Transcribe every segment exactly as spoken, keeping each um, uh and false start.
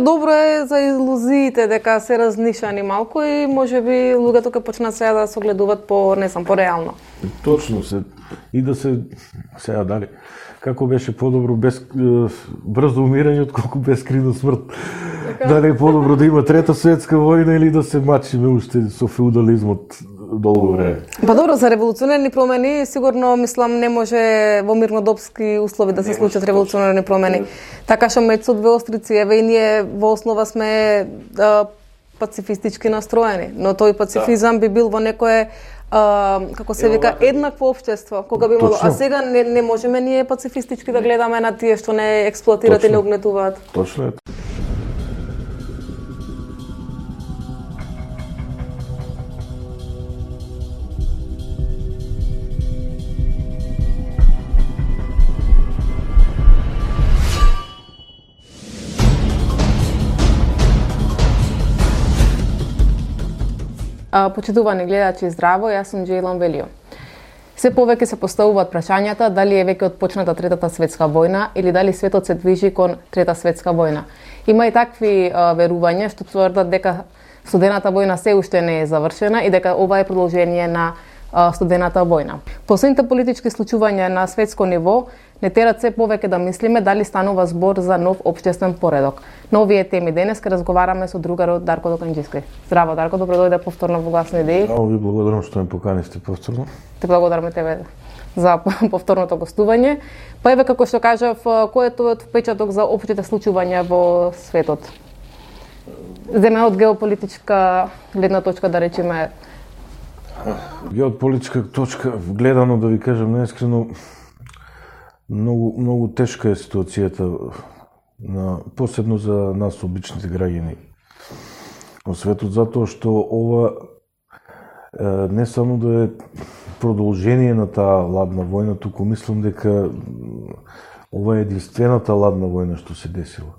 Добро е за илузиите дека се разнишани малку и можеби луѓето ќе почнат сега да се огледуваат по, не знам, по-реално. Точно се и да се сега дали како беше подобро без брзо умирање отколку бескрина смрт. Така. Дали е подобро да има трета светска војна или да се мачиме уште со феудализмот долго време. Па добро, за револуционерни промени сигурно мислам не може во мирнодопски услови да се случат револуционерни промени. Така што меѓу со две острици, еве и ние во основа сме а, пацифистички настроени, но тој пацифизам да. би бил во некое а, како се вика еднакво општество, кога би имало, а сега не, не можеме ние пацифистички да гледаме на тие што не експлоатираат и не угнетуваат. Точно е. Почитувани гледачи, здраво, јас сум Джейлан Велио. Се повеќе се поставуваат прашањата дали е веќе отпочната Третата светска војна или дали светот се движи кон Трета светска војна. Има и такви а, верувања што тврдат дека студената војна се уште не е завршена и дека ова е продолжение на а, студената војна. Последните политички случувања на светско ниво не терат се повеќе да мислиме дали станува збор за нов општествен поредок. На овие теми денес ке разговараме со другарот Дарко Доканџиски. Здраво, Дарко, добро дојде повторно во Гласни идеи. Много ви благодарам што ме поканисте повторно. Те благодараме тебе за повторното гостување. Па еве како што кажав, кој е тој впечаток за општите случувања во светот? Земе од геополитичка гледна точка, да речеме. Геополитичка точка, гледано да ви кажам неискрено, многу многу тешка е ситуацијата на посебно за нас обичните граѓани во светот, затоа што ова е, не само да е продолжение на таа ладна војна, туку мислам дека ова е единствената ладна војна што се десила.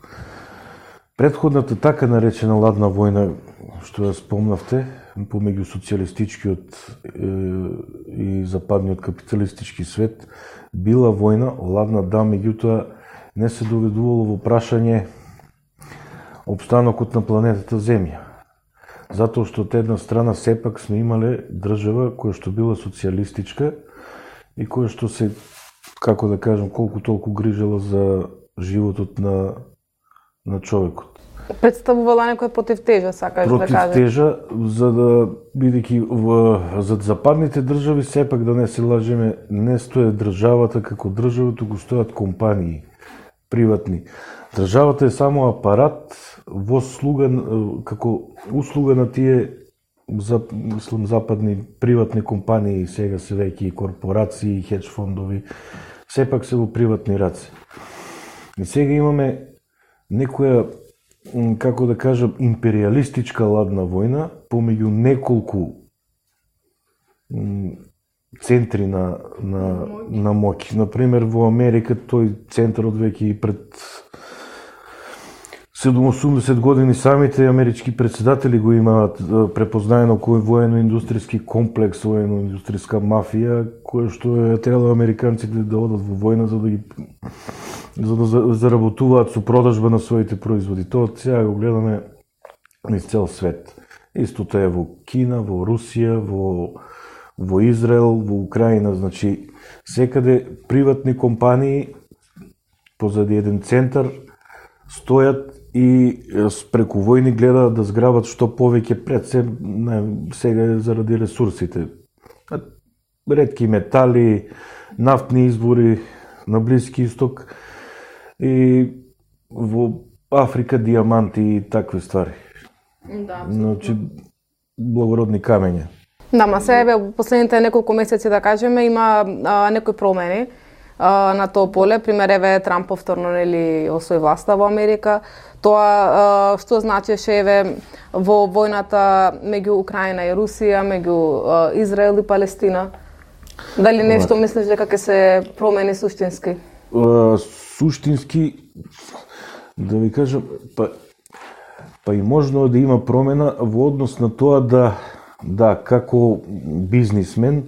Претходната така наречена ладна војна што ја спомнавте помеѓу социјалистичкиот е, и западниот капиталистички свет била војна ладна, да, меѓутоа не се доведувало во прашање опстанокот на планетата Земја. Затоа што од една страна сепак сме имале држава која што била социјалистичка и која што се, како да кажам, колку толку грижела за животот на, на човекот. Представувала некоја противтежа, сакаш да кажеш? Противтежа, за да, бидејќи за западните држави, сепак да не се лажеме, не стои државата како држава, туку стојат компании, приватни. Државата е само апарат во слуга, како услуга на тие за, мислам, западни приватни компании, сега се веќе и корпорации, хедж фондови, сепак се во приватни раце. И сега имаме некоја, како да кажам, империалистичка ладна војна помеѓу неколку центри на, на, на моќ. Например, во Америка тој центарот веќе и пред седумдесет години самите амерички председатели го имаат препознаено кој воено-индустријски комплекс, воено-индустријска мафија, која што е требало американците да одат во војна за да ги за да заработуваат со продажба на своите производи. Тоа сега го гледаме низ цел свет. Истото е во Кина, во Русија, во, во Израел, во Украина. Значи, секаде приватни компании позади еден центар стојат и преку војни гледаат да зграбат што повеќе пред се, не, сега заради ресурсите. Ретки метали, нафтни извори на Блиски Исток и во Африка диаманти и такви ствари. Да, значи, благородни камења. Да, ма се еве последните неколку месеци, да кажеме, има а, некои промени а, на тоа поле. Пример, еве Трамп повторно нели освои власта во Америка. Тоа а, што значеше еве во војната меѓу Украина и Русија, меѓу а, Израел и Палестина? Дали нешто мислиш дека ќе се промени суштински? Uh, суштински, да ви кажам, па, па и можно да има промена во однос на тоа да, да како бизнисмен,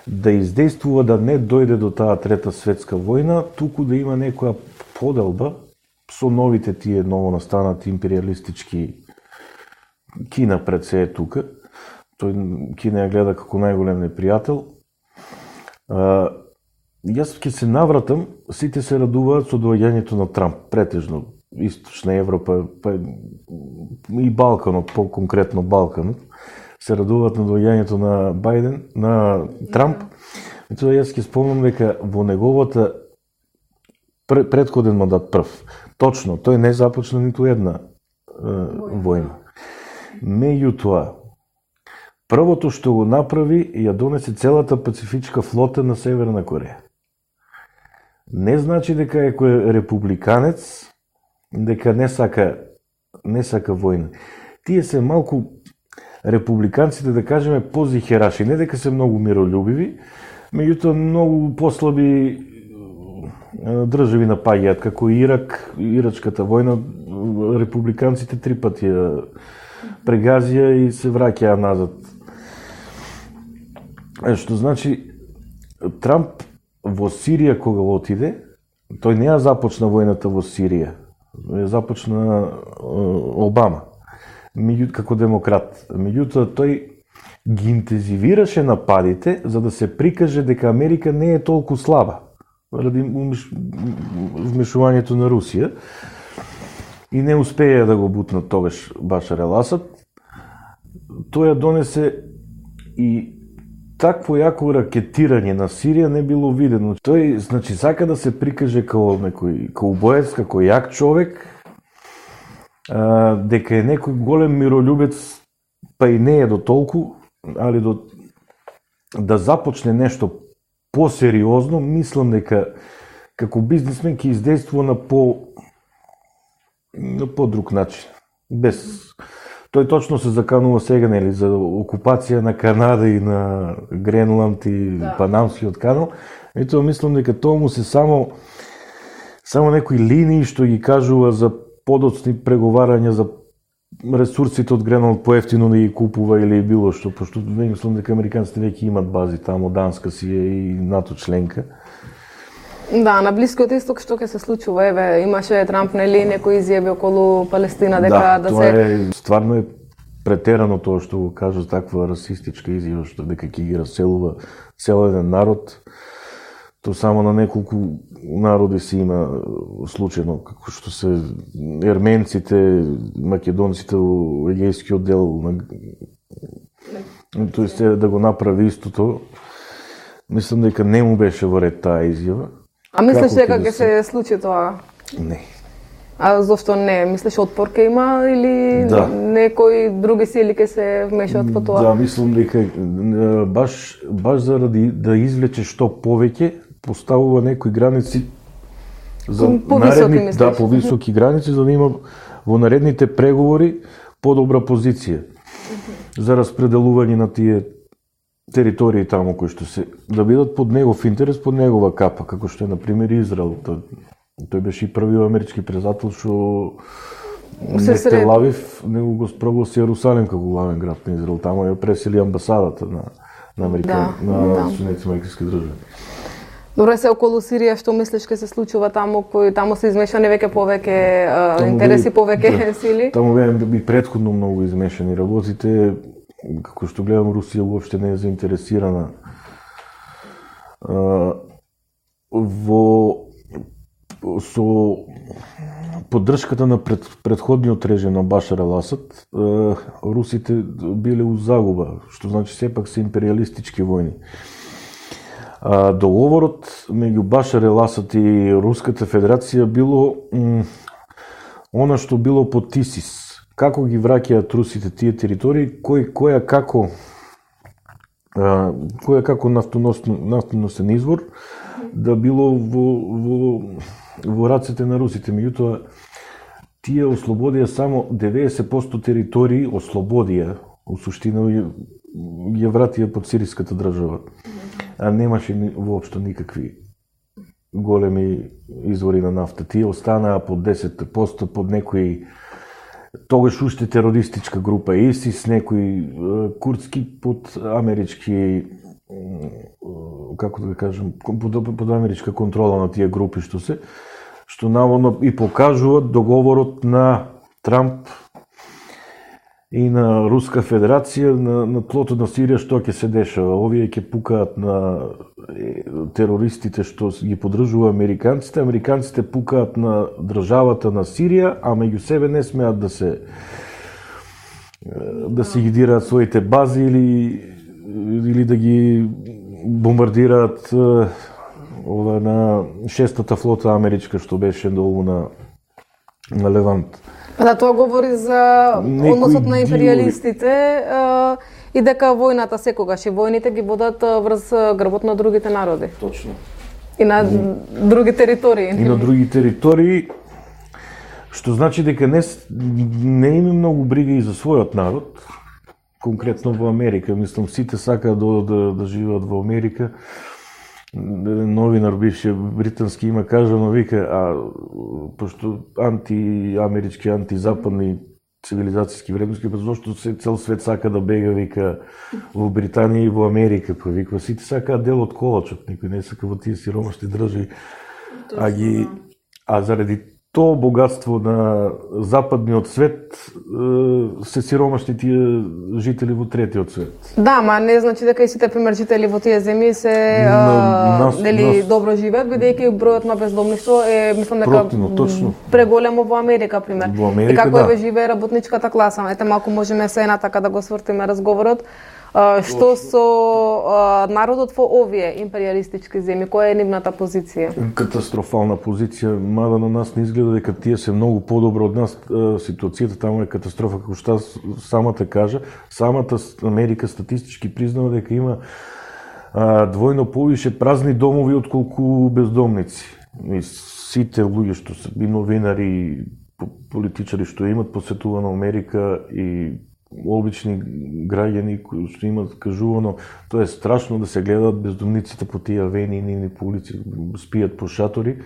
да издействува да не дојде до таа Трета светска војна, туку да има некоја поделба со новите тие ново настанати империалистички Кина пред се е тука. Тој Кина ја гледа како најголем непријател. А, јас ќе се навратам, сите се радуваат со доаѓањето на Трамп, претежно Источна Европа, па и Балканот, по-конкретно Балканот, се радуваат на доаѓањето на Бајден, на Трамп. И тоа јас ќе спомнам дека во неговата предходен мандат прв, точно, тој не започна ниту една е, војна. Меѓутоа, првото што го направи, ја донесе целата пацифичка флота на Северна Кореја. Не значи дека е кој републиканец, дека не сака, не сака војна. Тие се малку републиканците, да кажеме, позихераши, не дека се многу миролюбиви, меѓутоа многу послаби држави напаѓаат, како Ирак, Ирачката војна, републиканците три пати ја прегазија и се враќаа назад. Што значи, Трамп во Сирија кога отиде, тој не ја започна војната во Сирија, ја започна Обама, меѓу, како демократ. Меѓутоа, тој ги интензивираше нападите за да се прикаже дека Америка не е толку слаба ради вмешувањето на Русија и не успеја да го бутнат тогаш Башар ел Асад. Тој ја донесе и такво јако ракетирање на Сирија не било видено. Тој, значи, сака да се прикаже како некој каубоец, како јак човек, а, дека е некој голем миролюбец, па и не е до толку, али до да започне нешто посериозно, мислам дека како бизнисмен ќе издействува на по на по-друг начин. Без тој точно се заканува сега, нели, за окупација на Канада и на Гренланд и да. Панамскиот канал. И тоа мислам дека тоа му се само само некои линии што ги кажува за подоцни преговарања за ресурсите од Гренланд поевтино да ги купува или било што, пошто мислам дека американците веќе имат бази таму, Данска си е и НАТО членка. Да, на Блискиот исток што ќе се случува, еве, имаше Трамп нели некои изјави околу Палестина дека да, да тоа се е стварно е претерано тоа што го кажа, таква расистичка изјава што дека ќе ги раселува цел еден народ. То само на неколку народи се има случајно, како што се ерменците, македонците во егејскиот дел на тоест да го направи истото. Мислам дека не му беше во ред таа изјава. А мислиш дека ќе се случи тоа? Не. А зошто не? Мислиш отпор ќе има или да. Некои други сили ќе се вмешаат во тоа? Да, мислам дека баш баш заради да извлече што повеќе, поставува некои граници за наредни, мислиш? Да, повисоки граници за да има во наредните преговори подобра позиција за распределување на тие територии таму кои што се да бидат под негов интерес, под негова капа, како што е на пример Израел. Тој, тој беше и првиот амерички председател што не Тел Авив, него го прогласи Јерусалим како главен град на Израел. Таму ја пресели амбасадата на на Америка, да, на да. Соединетите американски држави. Добре, се околу Сирија, што мислиш ќе се случува таму, кој таму се измешани веќе повеќе интереси, повеќе да, сили? Таму беа и претходно многу измешани работите. Како што гледам, Русија уопште не е заинтересирана а, во со поддршката на пред, предходниот режим на Башар ел Асад. А, русите биле у загуба, што значи сепак се империалистички војни. А, договорот меѓу Башар ел Асад и Руската федерација било м, она што било под ТИСИС. Како ги враќаат русите тие територии, кој која како а, која како нафтоносен извор да било во во во рацете на русите. Меѓутоа тие ослободија само деветдесет проценти територии, ослободија, у суштина ја вратија под сириската држава. А немаше воопшто никакви големи извори на нафта. Тие останаа под десет проценти под некои тогаш уште терористичка група ИСИС, некои курдски под амерички, како да кажем, под, под америчка контрола на тие групи што се, што наводно и покажуваат договорот на Трамп и на Руска Федерација на, на тлото на Сирија што ќе се дешава. Овие ќе пукаат на терористите што ги поддржува американците, американците пукаат на државата на Сирија, а меѓу себе не смеат да се да се ги дираат своите бази или или да ги бомбардираат ова на шестата флота америчка што беше долу на на Левант. Да, тоа говори за односот на империалистите а, и дека војната секогаш и војните ги водат врз грбот на другите народи. Точно. И на mm. други територии. И на други територии, што значи дека не, не има многу брига и за својот народ, конкретно во Америка. Мислам, сите сакаат да, да, да живеат во Америка. Новинар бивши британски има кажано, вика, а пошто антиамерички, антизападни цивилизацијски вредности, па зашто се цел свет сака да бега, вика, во Британија и во Америка, па вика, сите сакаат дел од колачот, никој не сака во тие сиромашни држави, а ги а заради тоа богатство на западниот свет се сиромашни тие жители во третиот свет. Да, ма не значи дека и сите пример жители во тие земји се нели добро живеат, бидејќи бројот на бездомништво е мислам дека Противно, точно. преголемо во Америка пример. Во Америка, и како да. еве живее работничката класа. Ете малку можеме се една така да го свртиме разговорот. Uh, што со uh, народот во овие империалистички земји, која е нивната позиција? Катастрофална позиција, мада на нас не изгледа дека тие се многу подобро од нас. Ситуацијата таму е катастрофа, како што самата кажа. Самата Америка статистички признава дека има а, двојно повише празни домови отколку бездомници. И сите луѓе што се и новинари, политичари што имат посетувано Америка и обични граѓани кои што имат кажувано, тоа е страшно да се гледаат бездомниците по тие авени и нивни по улици, спијат по шатори.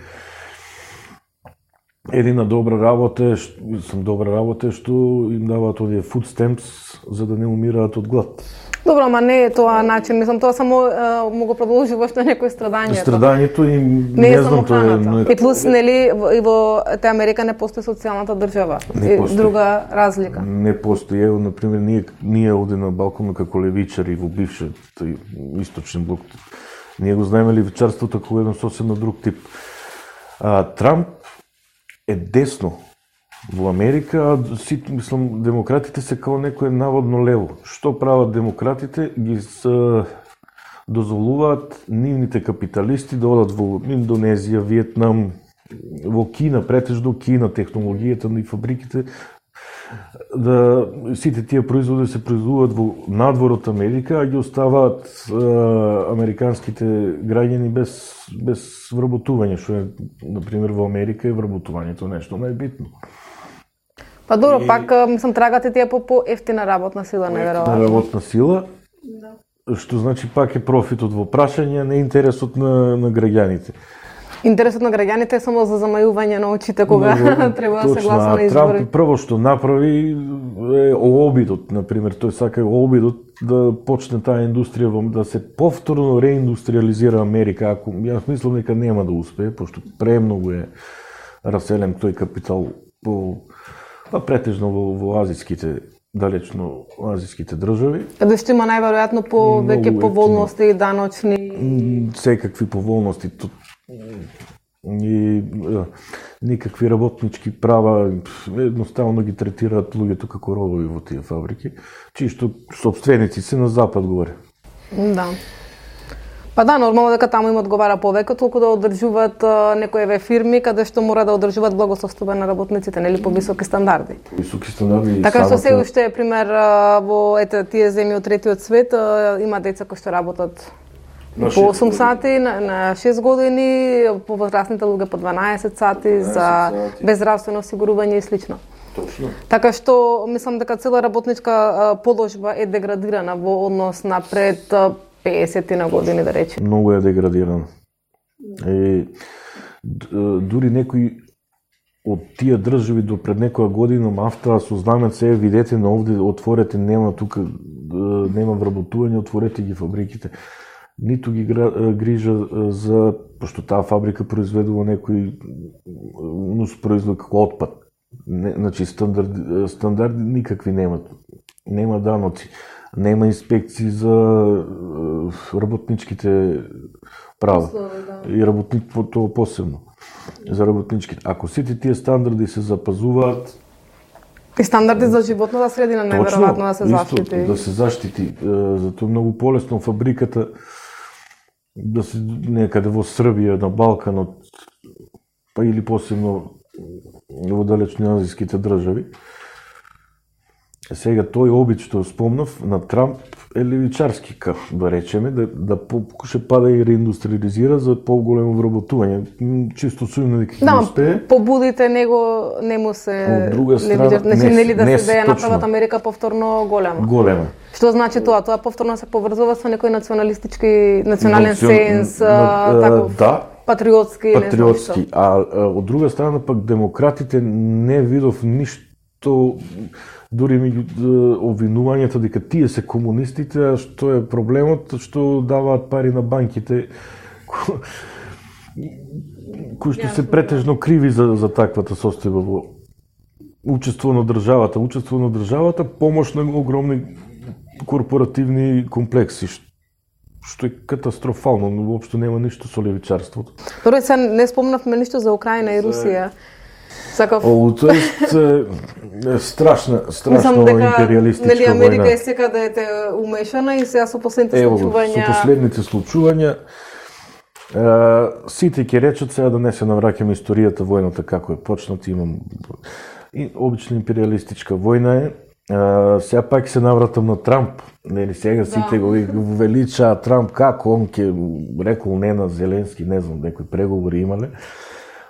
Едина добра работа е, сам добра работа е што им даваат овие food stamps за да не умираат од глад. Добро, ама не е тоа начин, мислам тоа само е, му го продолжува што некој страдањето. Страдањето и не, не е знам тоа е. Но... И плюс нели и во те Америка не постои социјалната држава. Не постои. Друга разлика. Не постои. Ево, например, ние ние овде на балконот како левичари во бившиот источен блок. Ние го знаеме левичарството како еден сосем на друг тип. А, Трамп е десно во Америка, а си, мислам, демократите се као некој наводно лево. Што прават демократите? Ги се дозволуваат нивните капиталисти да одат во Индонезија, Виетнам, во Кина, претежно Кина, технологијата и фабриките, да сите тие производи се производуваат во надворот Америка, а ги оставаат е, американските граѓани без без вработување, што е, например, во Америка е вработувањето нешто најбитно. Па добро, и... пак мислам трагате тие по по-ефтина работна сила, неверојатно. Работна сила. Да. Што значи пак е профитот во прашање, не интересот на на граѓаните. Интересот на граѓаните е само за замајување на очите кога no, треба да се гласа на избори. Трамп прво што направи е обидот, например, тој сака обидот да почне таа индустрија да се повторно реиндустриализира Америка. Ако јас мислам дека нема да успее, пошто премногу е раселен тој капитал по па претежно во, во азиските, далечно азиските држави. Каде што има најверојатно по веќе поволности и даночни секакви поволности. И никакви работнички права, едноставно ги третираат луѓето како робови во тие фабрики, чии што собственици се на запад горе. Да. Па да, нормално дека таму им одговара повеќе, толку да одржуваат некои фирми каде што мора да одржуваат благосостојба на работниците, нели по високи стандарди. Високи стандарди. Така што се уште пример во ете тие земји од третиот свет има деца кои што работат на по осум сати, на, на шест години, повозрастните луѓе по дванаесет сати за безздравствено осигурување и слично. Точно. Така што мислам дека цела работничка положба е деградирана во однос на пред песет на години, да речем. Многу е деградирана. И дури некои од тие држави до пред некоја година мафтаа со знамец се видете на овде отворете, нема тука нема вработување, отворете ги фабриките. ниту ги грижа за, пошто таа фабрика произведува некој нус производ како отпад. Не, значи стандарди, стандарди никакви немат. Нема даноци, нема инспекции за работничките права. Да. И работник тоа посебно за работничките. Ако сите тие стандарди се запазуваат, и стандарди за животната средина неверојатно да се заштити. Да се заштити. Затоа е многу полесно фабриката да се некаде во Србија, на Балканот, па или посебно во далечни азијските држави. Сега тој обид што спомнав на Трамп е левичарски, како да речеме, да, да покуша па да и реиндустриализира за поголемо вработување. Чисто сумно дека ќе да, успее. Побудите него не му се левичар, значи нели да се да ја направат Америка повторно голема. Голема. Што значи тоа? Тоа повторно се поврзува со некој националистички, национален Национ... сенс, на, таков да, патриотски, патриотски. Не а, а од друга страна пак демократите не видов ништо, дури меѓу обвинувањата дека тие се комунистите, а што е проблемот, што даваат пари на банките ко... кои што се претежно криви за, за таквата состојба во учество на државата. Учество на државата, помош на огромни корпоративни комплекси, што е катастрофално, но воопшто нема ништо со левичарството. Добре, се не спомнавме ништо за Украина и Русија. Сакав... О, тоа е страшна, страшно империалистичка нели Америка војна. е секаде е умешана и сега со последните Ево, случувања... со последните случувања, е, сите ќе речат сега да не се навраќаме историјата војната како е почната, имам и обична империалистичка војна е. Uh, сега пак се навратам на Трамп. Нели сега сите да. го величаа Трамп како он ќе рекол не на Зеленски, не знам, некои преговори имале.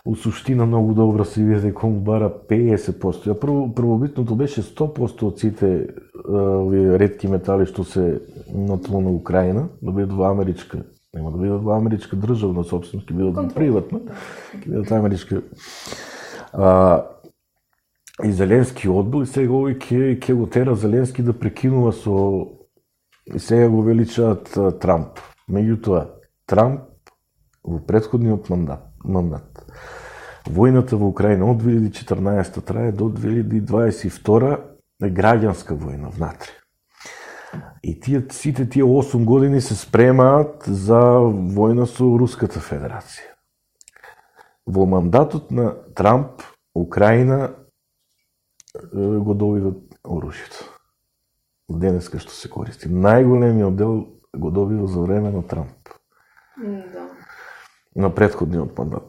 У суштина многу добро се види дека он бара педесет проценти. А прво првобитното беше сто проценти од сите овие ретки метали што се на тло на Украина, да бидат во америчка, нема да бидат во америчка државна собственост, ќе бидат приватна, ќе бидат америчка. А, И Зеленски одбил и сега овој ќе ќе го тера Зеленски да прекинува со и сега го величаат Трамп. Меѓутоа, Трамп во претходниот мандат, мандат војната во Украина од две илјади и четрнаесета трае до две илјади и дваесет и втора е граѓанска војна внатре. И тие сите тие осум години се спремаат за војна со Руската Федерација. Во мандатот на Трамп Украина го добиват оружјето. Денеска што се користи. Најголемиот дел го добива за време на Трамп. Да. На претходниот мандат.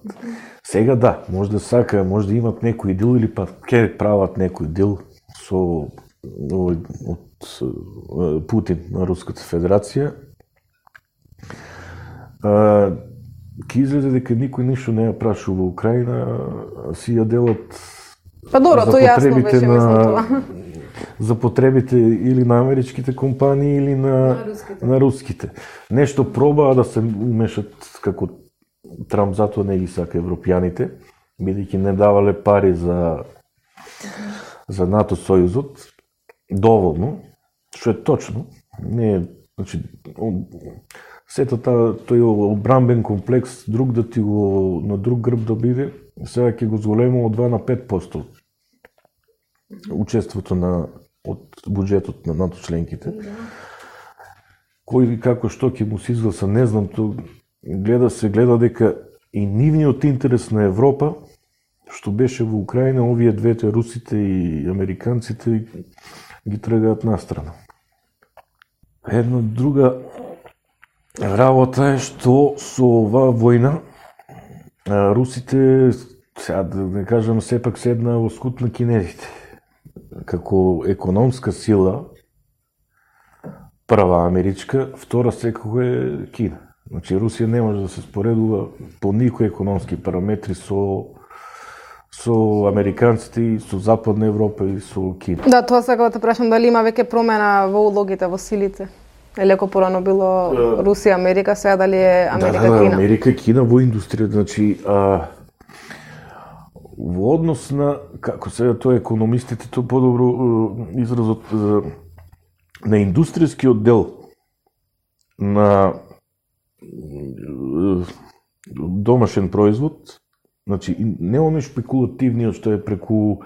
Сега да, може да сака, може да имат некој дил или па ке прават некој дил со од, од Путин на Руската Федерација. Ке изгледа дека никој ништо не ја прашу во Украина, си ја делат Па добро, тоа јасно беше, мислам тоа. За потребите или на америчките компании или на, на, руските. на руските. Нешто пробаа да се умешат како Трамп, затоа не ги сака европјаните, бидејќи не давале пари за за НАТО сојузот доволно, што е точно. Не е, значи, сета тој одбранбен комплекс друг да ти го на друг грб да биде, сега ќе го зголемува од два на пет проценти учеството на од буџетот на НАТО членките. Кој како што ќе му се изгласа, не знам, то гледа се гледа дека и нивниот интерес на Европа, што беше во Украина, овие двете, русите и американците, ги тргаат настрана. Една друга работа е што со оваа војна русите, сега да не кажам, сепак седна во скут на кинезите. Како економска сила, прва америчка, втора секако е Кина. Значи Русија не може да се споредува по никои економски параметри со со американците и со Западна Европа и со Кина. Да, тоа сакам да те прашам, дали има веќе промена во улогите, во силите? Леко порано било Русија, Америка, сега дали е Америка, да, да, Кина? Америка и Кина во индустријата, значи а, во однос на, како сега тоа економистите, тоа подобро изразот на индустријскиот дел на домашен производ, значи не оној шпекулативниот што е преку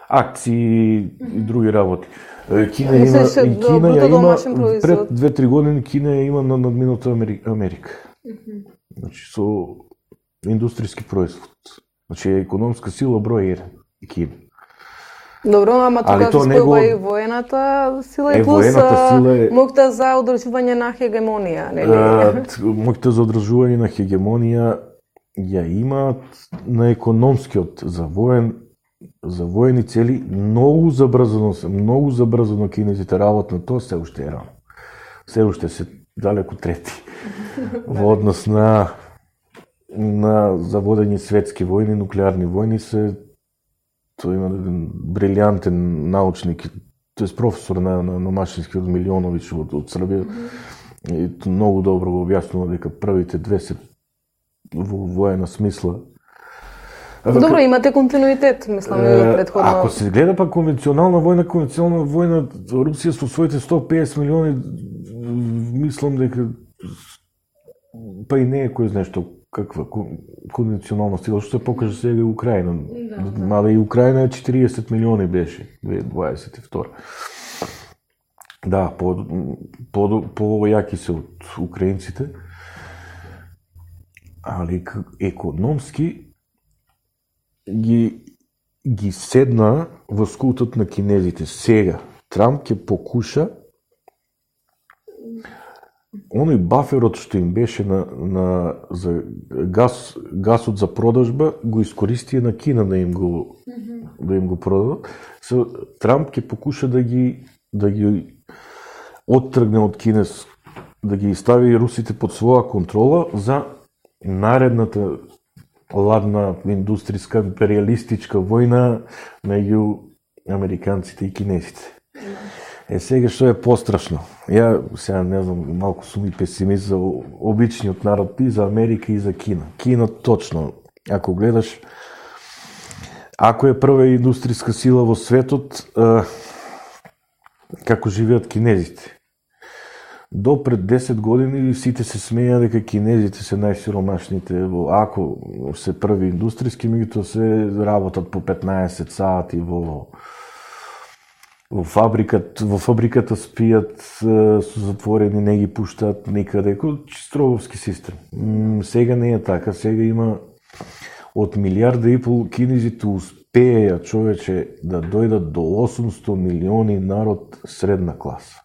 акции и други работи. Кина има, Кина ја има пред две-три години Кина ја има на надмината Америка. Значи со индустријски производ. Значи е економска сила број еден Кина. Добро, ама тука се спојува и воената сила и плюс моќта за одржување на хегемонија, нели? Моќта за одржување на хегемонија ја имаат на економскиот, за воен, за воени цели, многу забрзано се, многу забрзано кинезите работат на тоа, се уште е рано. Се уште се далеку трети во однос на на заводење светски војни, нуклеарни војни се. Тој има еден брилјантен научник, тој професор на, на, на машински од Милионович од, од Србија. И многу добро го објаснува дека првите две се во воена смисла. Добро, имате континуитет, мислам, и претходно. Ако се гледа па конвенционална војна, конвенционална војна, Русија со своите сто и песет милиони, мислам дека па и не е кој знае што каква конвенционална сила, што се покаже сега и Украина. Да, мада и Украина е четириесет милиони беше, две тисячи дваесет и втора. Да, по, по, по-јаки се од украинците, али економски ги, ги седна во скутот на кинезите. Сега, Трамп ќе покуша оној баферот што им беше на, на за газ, газот за продажба, го искористија на Кина да им го, mm-hmm. да им го продадат. Се, Трамп ќе покуша да ги, да ги оттргне од Кинес, да ги стави русите под своја контрола за наредната ладна индустријска империалистичка војна меѓу американците и кинезите. Е, сега што е пострашно? Ја, сега не знам, малку сум и песимист за обичниот народ и за Америка и за Кина. Кина точно, ако гледаш, ако е прва индустријска сила во светот, е, како живеат кинезите. До пред десет години сите се смеја дека кинезите се најсиромашните, ако се први индустријски, меѓутоа се работат по петнаесет сати во во фабриката, во фабриката спијат со затворени, не ги пуштаат никаде, чистровски систем. Сега не е така, сега има од милиарда и пол кинезите успеја, човече, да дојдат до осумсто милиони народ средна класа.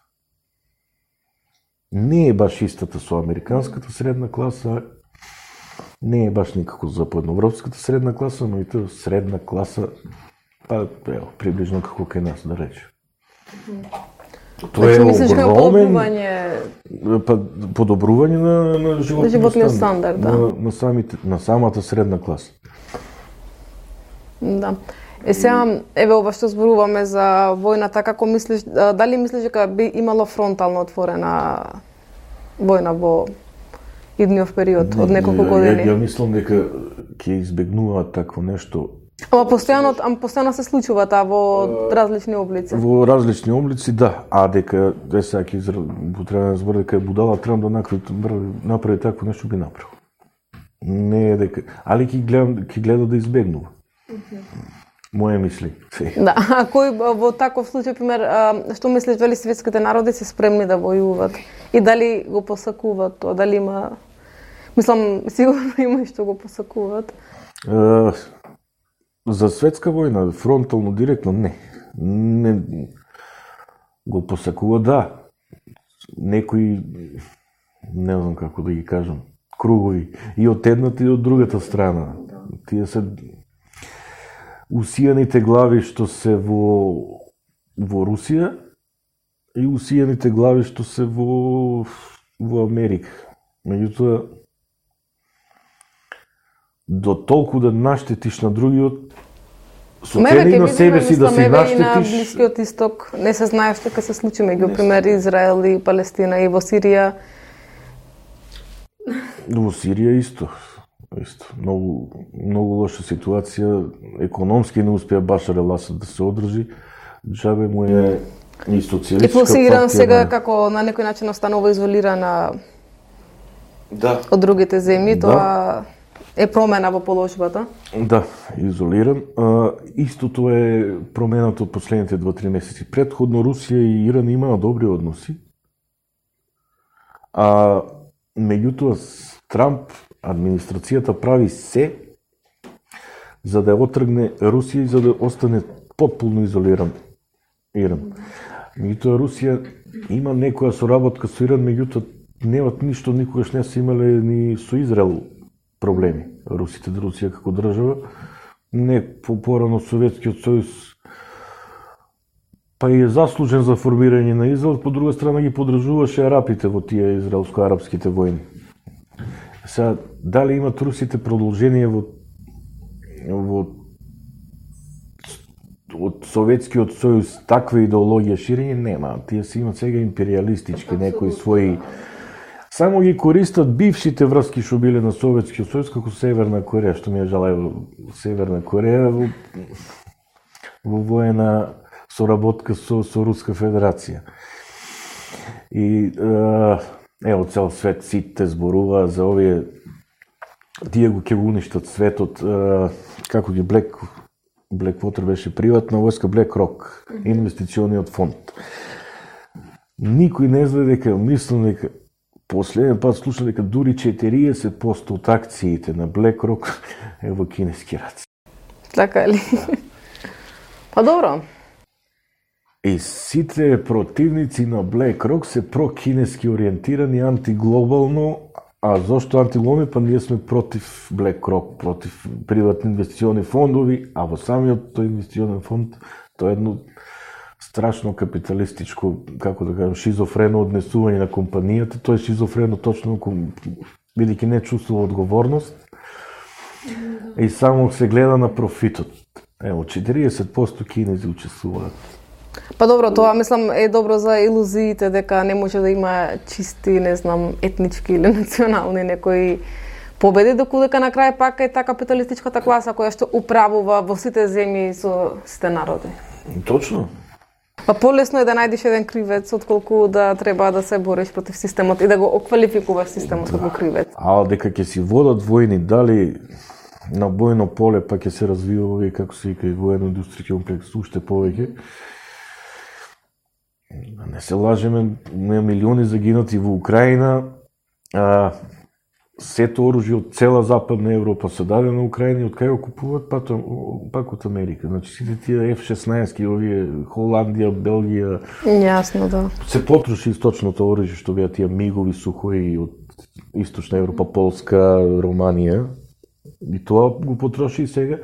Не е баш истата со американската средна класа, не е баш никако западноевропската средна класа, но и тоа средна класа, па, ево, приближно како кај нас, да рече. Тоа е огромен па, подобрување на, на животниот стандард, да. на, на, самите, на самата средна класа. Да. Е сега, еве ова што зборуваме за војната, како мислиш, дали мислиш дека би имало фронтално отворена војна во идниот период од неколку години? Ја, ја мислам дека ќе избегнуваат такво нешто. Ама постојано, ама постојано се случува таа во различни облици. Во различни облици, да. А дека де сега ќе треба да збори дека е будала Трамп да направи, направи такво нешто би направил. Не е дека, али ќе гледам, ќе гледа да избегнува. Моje мисли. Да, а кој во таков случај, пример, што мислиш, дали светските народи се спремни да војуват и дали го посакуваат тоа, дали има, мислам, сигурно има и што го посакуваат. Uh, за светска војна, фронтално, директно, не. Не го посакува, да. Некои, не знам како да ги кажам, кругови, и од едната и од другата страна. Тие се усијаните глави што се во, во Русија и усијаните глави што се во, во Америка. Меѓутоа, до толку да наштетиш на другиот, со цели на себе си да се наштетиш... На Блискиот Исток не се знае што ќе се случи меѓу, пример, Израел и Палестина и во Сирија. Во Сирија исто. Исто. Многу, многу лоша ситуација, економски не успеа Башар ел-Асад да се одржи, џабе му е и социјалистичка партија. И плюс Иран сега како на некој начин останува изолирана да. од другите земји, Да. тоа е промена во положбата. Да, изолиран. А, истото е променато од последните два-три месеци. Предходно Русија и Иран имаа добри односи, а меѓутоа Трамп, администрацијата прави се за да отргне Русија и за да остане потполно изолиран Иран. Меѓутоа Русија има некоја соработка со Иран, меѓутоа немат ништо, никогаш не се имале ни со Израел проблеми. Русите, Русија како држава, не по-порано Советскиот сојуз, па и е заслужен за формирање на Израел, по друга страна ги подржуваше арапите во тие израелско-арапските војни. Сега, дали имат русите продолжение во во од Советскиот сојуз таква идеологија ширење нема. Тие си имат сега империалистички некои своји. Само ги користат бившите врски што биле на Советскиот сојуз, како Северна Кореја, што ми е жалај Северна Кореја во, во воена соработка со, со Руска Федерација. И ево цел свет сите зборува за овие тие го ќе го уништат светот, како ги Black Blackwater беше приватна војска, BlackRock, инвестициониот фонд. Никој не знае дека, мислам дека последен пат слушам дека дури четириесет проценти од акциите на BlackRock е во кинески раци. Така ли? Па добро. И сите противници на BlackRock се прокинески ориентирани, антиглобално. А зошто антиглобално? Па ние сме против BlackRock, против приватни инвестициони фондови, а во самиот тој инвестиционен фонд тоа е едно страшно капиталистичко, како да кажам, шизофрено однесување на компанијата. Тоа е шизофрено точно бидејќи не чувствува одговорност и само се гледа на профитот. Ево, четириесет проценти кинези учествуваат. Па добро, тоа мислам е добро за илузиите дека не може да има чисти, не знам, етнички или национални некои победи, доколку на крај пак е таа капиталистичката класа која што управува во сите земји со сите народи. Точно. Па полесно е да најдеш еден кривец, отколку да треба да се бориш против системот и да го оквалификуваш системот како кривец. А дека ќе си водат војни, дали на бојно поле, па ќе се развива овие, како се вика, воено-индустријски комплекс, уште повеќе. Не се лажеме, има милиони загинати во Украина, а, сето оружје од цела Западна Европа се даде на Украина и од кај го купуваат пак, пак од Америка. Значи сите тие Еф шеснаесет, овие Холандија, Белгија. Јасно, да. Се потроши источното оружје што беа тие мигови сухои од Источна Европа, Полска, Романија. И тоа го потроши и сега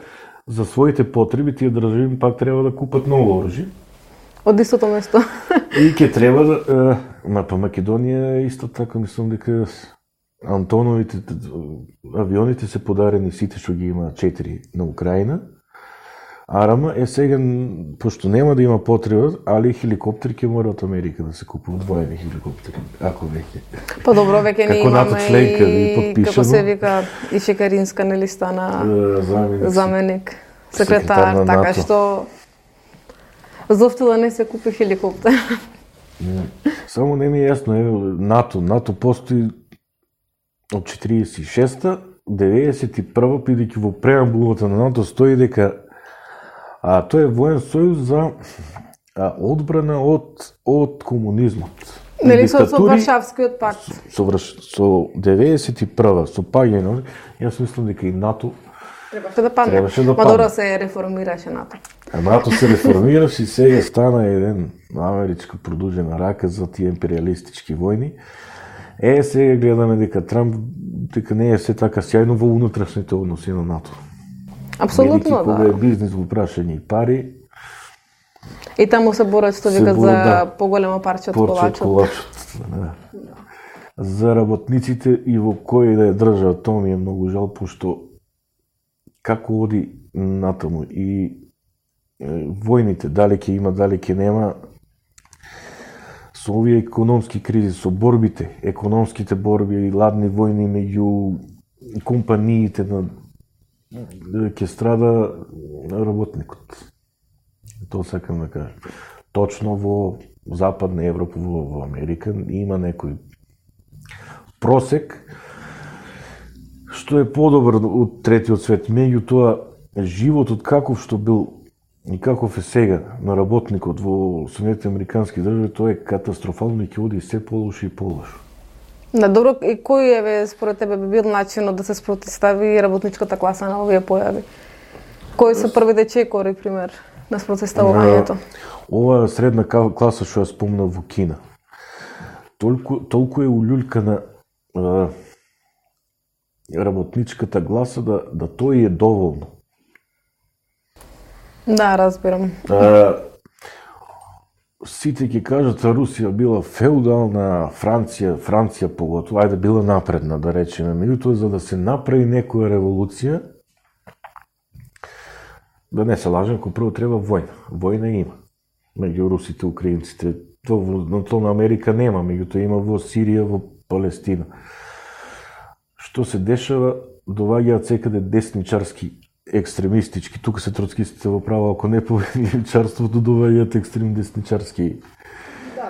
за своите потреби тие држави пак треба да купат ново оружје. Од истото место. И ќе треба да... Ма па Македонија исто така, мислам дека Антоновите авионите се подарени сите што ги има четири на Украина. Арама е сега, пошто нема да има потреба, али хеликоптери ќе мора од Америка да се купуваат воени хеликоптери, ако веќе. Па добро, веќе не имаме членка, и, како се вика, и Шекаринска нели стана заменик, заменик секретар, на така НАТО. што зошто да не се купи хеликоптер? Само не ми е јасно, е НАТО, НАТО постои од четириесет и шеста, деветдесет и прва, бидејќи во преамбулата на НАТО стои дека а, тој е воен сојуз за а, одбрана од од комунизмот. Нели со, со Варшавскиот пакт? Со, со, со деветдесет и прва, со паѓање, јас мислам дека и НАТО требаше да падне. Требаше да Ма добро падне. се реформираше НАТО. А НАТО се реформираше и сега стана еден америчка продужена рака за тие империалистички војни. Е, сега гледаме дека Трамп дека не е се така сјајно во унатрешните односи на НАТО. Апсолутно, Кога да. е бизнес во прашање и пари, И таму се борат, што Се викат, за борат, да. поголема парче од порче од колачот. колачот. Да. За работниците и во кој да е држава, тоа ми е многу жал, пошто како оди натаму и е, војните, дали ќе има, дали ќе нема, со овие економски кризи, со борбите, економските борби и ладни војни меѓу компаниите на ќе страда работникот. Тоа сакам да кажам. Точно во Западна Европа, во, во Америка има некој просек што е подобар од третиот свет. Меѓутоа, животот каков што бил и каков е сега на работникот во Соединетите Американски држави, тоа е катастрофално и ќе оди се полошо и полошо. На добро, и кој е според тебе би бил начинот да се спротивстави работничката класа на овие појави? Кои се првите чекори, пример, на спротивставувањето? Ова средна класа што ја спомнав во Кина, толку, толку е улюлькана а, работничката гласа да, да тој е доволно. Да, разбирам. А, сите ќе кажат Русија била феудална, Франција, Франција поготово, ајде била напредна, да речеме. Меѓутоа, за да се направи некоја револуција, да не се лажем, кој прво треба војна. Војна има меѓу русите и украинците. То на то на Америка нема, меѓутоа има во Сирија, во Палестина. Што се дешава, доваѓаат секаде десничарски, екстремистички, тука се троцкистите во право, ако не повели чарството, доваѓаат екстрем десничарски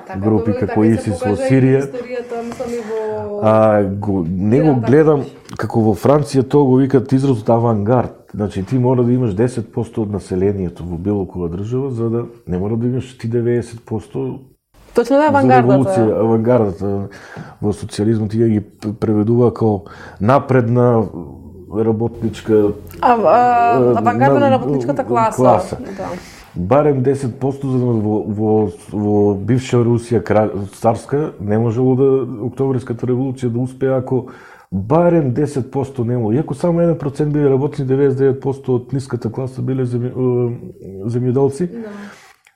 да, групи како ИСИС во Сирија. Во... А, го, не го гледам, како во Франција тоа го викат изразот авангард. Значи ти мора да имаш десет проценти од населението во било која држава, за да не мора да имаш ти деветдесет проценти. Точно да, авангардата. Авангардата во социјализмот ја ги преведува како напредна работничка... А, а, авангарда на работничката класа. класа. Да. Барем десет проценти за во, во, во бивша Русија царска не можело да Октоберската револуција да успее ако барем десет проценти немало. Иако само еден процент биле работни, деветдесет и девет проценти од ниската класа биле земјоделци, no.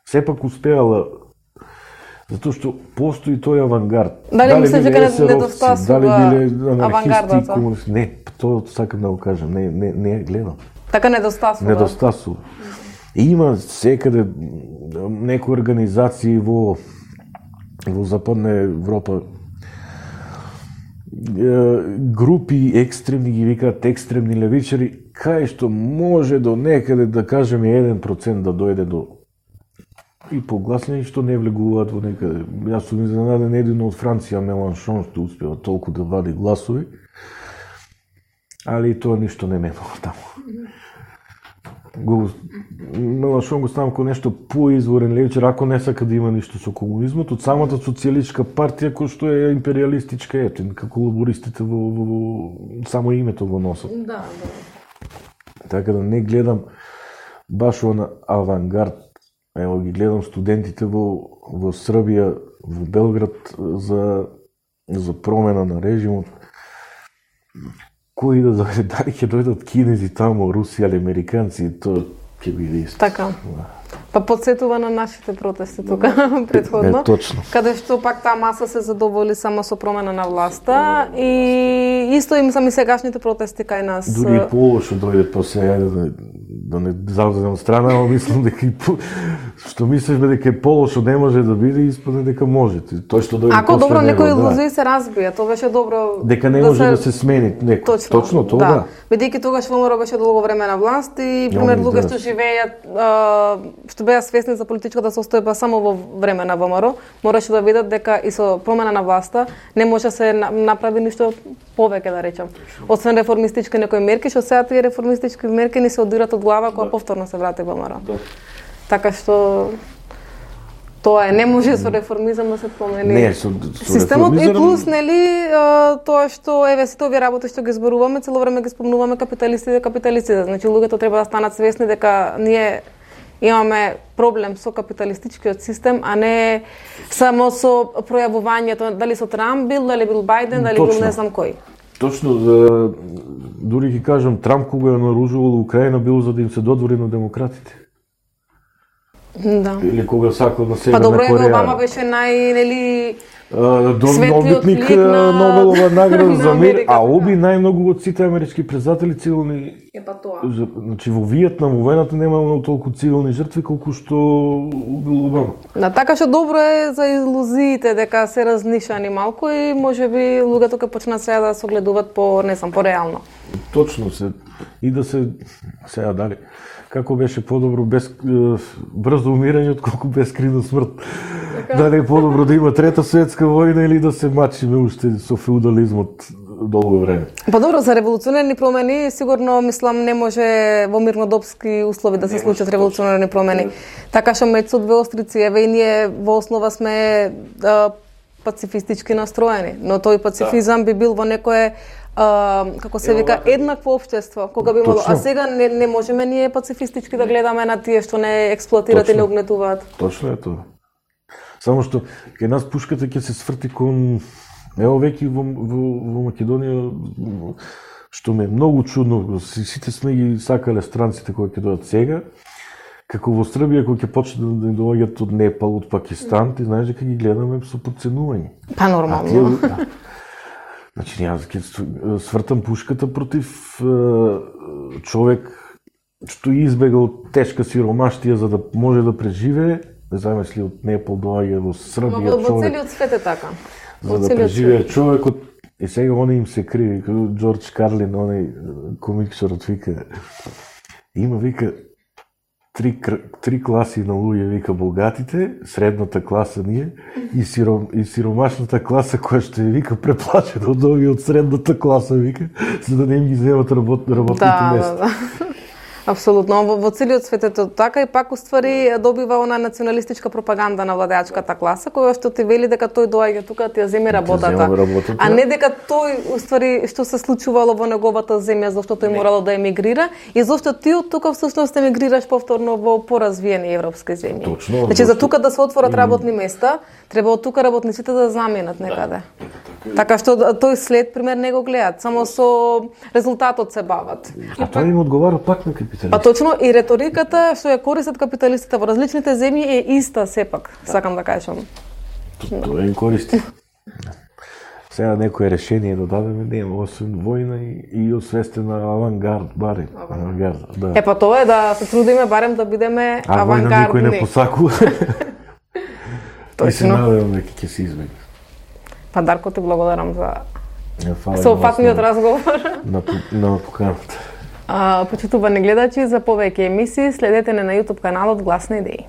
Сепак успеала затоа што постои тој авангард. Дали, дали мислиш дека недостасува дали биле анархисти, комунисти? Не, тоа сакам да го кажам, не не не гледам. Така недостасува. Недостасува. Има секаде некои организации во во Западна Европа, групи екстремни ги викаат екстремни левичари, кај што може до некаде да кажеме еден процент да дојде до и погласни што не влегуваат во некаде. Јас сум изненаден едино од Франција, Меланшон, што успева толку да вади гласови, али тоа ништо не менува таму. Го, Меланшон го ставам ко нешто поизворен левичар, ако не сака да има ништо со комунизмот, од самата социјалистичка партија која што е империалистичка, ето, како лабористите во, во, во само името го носат. Да, да. Така да не гледам баш на авангард. Ево ги гледам студентите во во Србија, во Белград за за промена на режимот. Кои да дојде, дали ќе дојдат кинези таму, руси или американци, тоа ќе биде исто. Така. Па подсетува на нашите протести тука претходно. Е, точно. Каде што пак таа маса се задоволи само со промена на власта и исто им сами сегашните протести кај нас. Дури и полошо дојде па сега да, да не завземам страна, но мислам дека и што мислиш дека е полошо не може да биде, испадне дека може. Тој што дојде Ако добро некои илузии да. се разбија, тоа беше добро. Дека не може да се, да се смени некој. Точно, Точно тоа да. да. Бидејќи тогаш ВМРО беше долго време на власт и пример луѓе што живееат што беа свесни за политичката состојба само во време на ВМРО, мораше да видат дека и со промена на власта не може да се направи ништо повеќе, да речам. Освен реформистички некои мерки, што сега тие реформистички мерки не се одират од глава кога да. повторно се врати ВМРО. Да. Така што тоа е, не може со реформизам да се промени. Не, со, со системот реформизам... и плюс, нели, тоа што еве сите овие работи што ги зборуваме, цело време ги спомнуваме капиталистите, капиталистите. Значи луѓето треба да станат свесни дека ние имаме проблем со капиталистичкиот систем, а не само со пројавувањето, дали со Трамп бил, дали бил Бајден, дали Точно. бил не знам кој. Точно, да, дури ги кажам, Трамп кога ја наружувал Украина бил за да им се додвори на демократите. Да. Или кога сакал на Северна Кореја. Па добро, Кореја. Обама беше нај, нели, добитник на Нобелова награда за мир, а оби најмногу од сите амерички председатели цивилни. Е па тоа. Значи во Виетнам, во војната нема многу толку цивилни жртви колку што убил Обама. Да, така што добро е за илузиите дека се разнишани малку и можеби луѓето ќе почнат сега да се огледуваат по, не знам, по реално. Точно се и да се сега дали како беше подобро без брзо умирање отколку бескривна смрт. Така. Дали е подобро да има трета светска војна или да се мачиме уште со феудализмот долго време. Па добро, за револуционерни промени сигурно мислам не може во мирнодопски услови да се случат револуционерни промени. Така што меѓу со две острици, еве и ние во основа сме а, пацифистички настроени, но тој пацифизам би бил во некое а, како се вика еднакво општество, кога би имало, а сега не, не можеме ние пацифистички да гледаме на тие што не експлоатираат и не угнетуваат. Точно е тоа. Само што кај нас пушката ќе се сврти кон ево веќе во, во, во Македонија, што ме е многу чудно, сите сме ги сакале странците кои ќе дојдат сега, како во Србија кои ќе почнат да доаѓаат од Непал, од Пакистан, ти знаеш дека ги гледаме со подценување. Па нормално. Да. Значи, јас ќе свртам пушката против е, човек што избегал тешка сиромаштија за да може да преживее, да замисли од Непал доаѓа во Србија човек. Во целиот свет е така. За да преживее човекот, и сега они им се криви, како Джордж Карлин, оној комиксорот вика, има вика три, три класи на луѓе, вика богатите, средната класа ние и, сиром, и сиромашната класа која што е вика преплачена од овие од средната класа, вика, за да не им ги земат работ, работните да, места. Да, да. Апсолутно, во, во целиот свет е тоа така и пак уствари добива она националистичка пропаганда на владеачката класа, која што ти вели дека тој доаѓа тука да ти ја земе работата, работата, а не дека тој уствари што се случувало во неговата земја зашто тој морало да емигрира и зашто ти од тука всушност емигрираш повторно во поразвиени европски земји. Точно. Значи за тука да се отворат работни места, треба од тука работниците да заменат некаде. Да, така што тој след пример не го гледаат, само со резултатот се бават. А тоа им одговара пак на капиталистите. Па точно и реториката што ја користат капиталистите во различните земји е иста сепак, сакам да кажам. Тоа им користи. Сега некое решение да дадеме, нема, освен војна и, и освестена авангард, барем. Авангард, да. Е, па тоа е да се трудиме барем да бидеме а авангардни. А војна никој не посакува. И се надевам дека ќе се избегне. Па Дарко, ти благодарам за yeah, соопфатниот разговор. На, на поканата. Почитувани гледачи, за повеќе емисии следете не на YouTube каналот Гласни идеи.